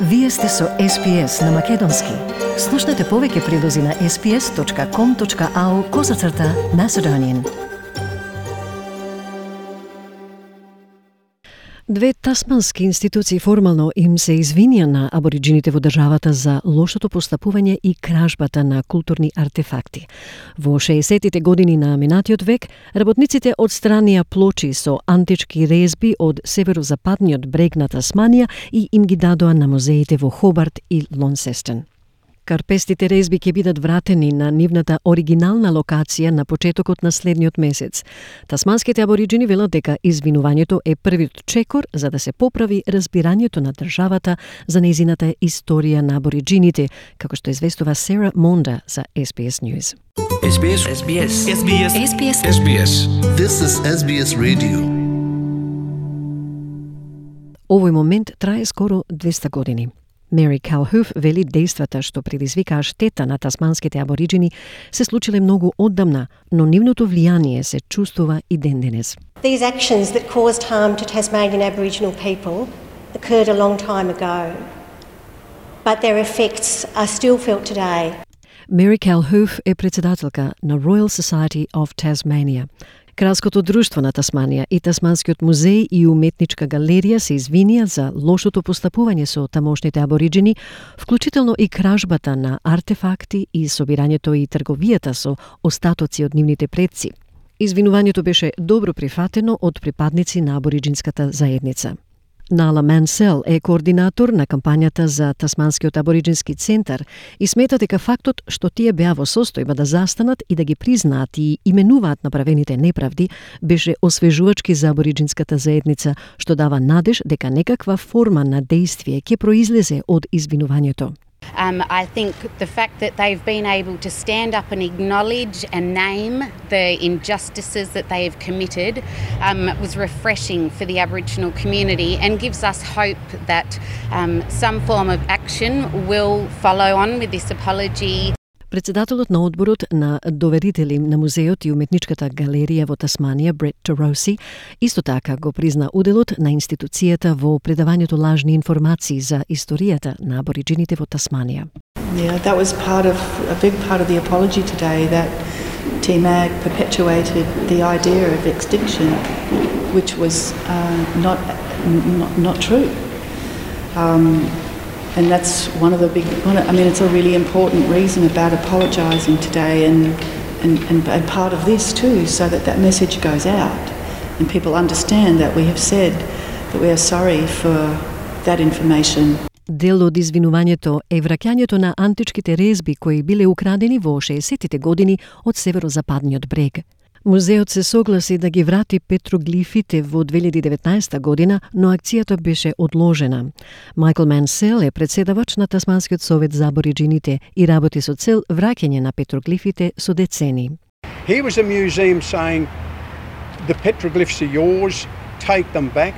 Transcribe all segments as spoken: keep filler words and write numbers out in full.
Вие сте со Ес Би Ес на Македонски. Слушнете повеќе прилози на ес би ес точка ком точка ау козацрта Macedonian. Две тасмански институции формално им се извинија на абориджините во државата за лошото постапување и кражбата на културни артефакти. Во шеесеттите години на минатиот век, работниците одстранија плочи со антички резби од северозападниот брег на Тасманија и им ги дадоа на музеите во Хобарт и Лонсестен. Карпестите резби ќе бидат вратени на нивната оригинална локација на почетокот на следниот месец. Тасманските абориджини велат дека извинувањето е првиот чекор за да се поправи разбирањето на државата за нејзината историја на абориджините, како што известува Сера Монда за Ес Би Ес News. Ес Би Ес, Ес Би Ес, Ес Би Ес, Ес Би Ес. Ес Би Ес. This is Ес Би Ес Radio. Овој момент трае скоро двеста години. Мери Калхуф вели дејствата што предизвикаа штета на тасманските абориджини се случиле многу оддамна, но нивното влијание се чувствува и ден денес. These actions that caused harm to Tasmanian Aboriginal people occurred a long time ago, but their effects are still felt today. Мери Калхуф е председателка на Royal Society of Tasmania. Кралското друштво на Тасманија и Тасманскиот музеј и уметничка галерија се извинија за лошото постапување со тамошните абориджини, вклучително и кражбата на артефакти и собирањето и трговијата со остатоци од нивните предци. Извинувањето беше добро прифатено од припадници на абориджинската заедница. Нала Мансел е координатор на кампањата за Тасманскиот абориджински центар и смета дека фактот што тие беа во состојба да застанат и да ги признаат и именуваат направените неправди беше освежувачки за абориджинската заедница, што дава надеж дека некаква форма на дејствие ќе произлезе од извинувањето. Um, I think the fact that they've been able to stand up and acknowledge and name the injustices that they have committed um, was refreshing for the Aboriginal community and gives us hope that um, some form of action will follow on with this apology. Председателот на одборот на доверители на музеот и уметничката галерија во Тасманија, Брет Тороси, исто така го призна уделот на институцијата во предавањето лажни информации за историјата на абориджините во Тасманија. Yeah, that was part of a big part of the apology today, that T M A G perpetuated the idea of extinction, which was uh, not, not not true. Um, And that's one of the big, I mean, it's a really important reason about apologising today and, and, and, and part of this too, so that that message goes out and people understand that we have said that we are sorry for that information. Дел од извинувањето е враќањето на античките резби кои биле украдени во шеесеттите години од северозападниот брег. Музеот се согласи да ги врати петроглифите во две илјади и деветнаесета година, но акцијата беше одложена. Майкл Мансел е председавач на Тасманскиот совет за абориджините и работи со цел враќање на петроглифите со децени. Here was a museum saying the petroglyphs are yours, take them back.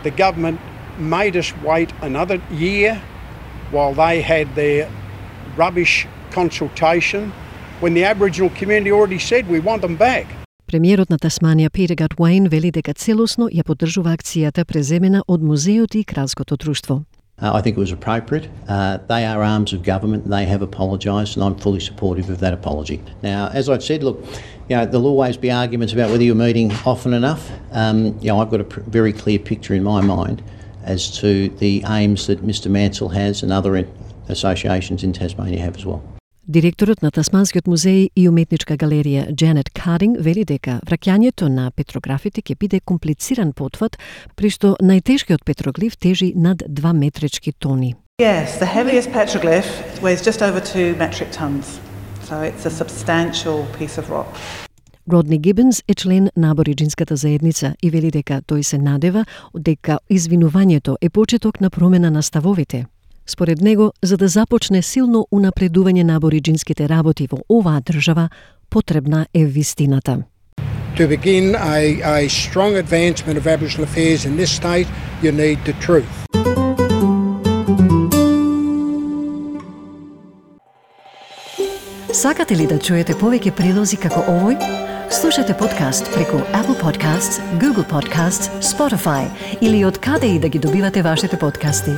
The government made us wait another year while they had their rubbish consultation, when the Aboriginal community already said we want them back. Премиерот на Тасманија Питер Гатуаин вели дека целосно ја поддржува акцијата преземена од музеот и кралското друштво. Uh, I think it was appropriate. Uh, they are arms of government and they have apologised and I'm fully supportive of that apology. Now, as I've said, look, you know, there'll always be arguments about whether you're meeting often enough. Um, you know, I've got a pr- very clear picture in my mind as to the aims that Mister Mansell has and other associations in Tasmania have as well. Директорот на Тасманскиот музеј и уметничка галерија Джанет Кадинг вели дека враќањето на петрографите ќе биде комплициран потват, при што најтешкиот петроглиф тежи над два метрички тони. Yes, the heaviest petroglyph weighs just over two metric tons. So it's a substantial piece of rock. Родни Гибенс е член на абориджинската заедница и вели дека тој се надева дека извинувањето е почеток на промена на ставовите. Според него, за да започне силно унапредување на абориджинските работи во оваа држава, потребна е вистината. To begin a, a strong advancement of Aboriginal affairs in this state, you need the truth. Сакате ли да чуете повеќе прилози како овој? Слушате подкаст преку Apple Podcasts, Google Podcasts, Spotify или од каде и да ги добивате вашите подкасти.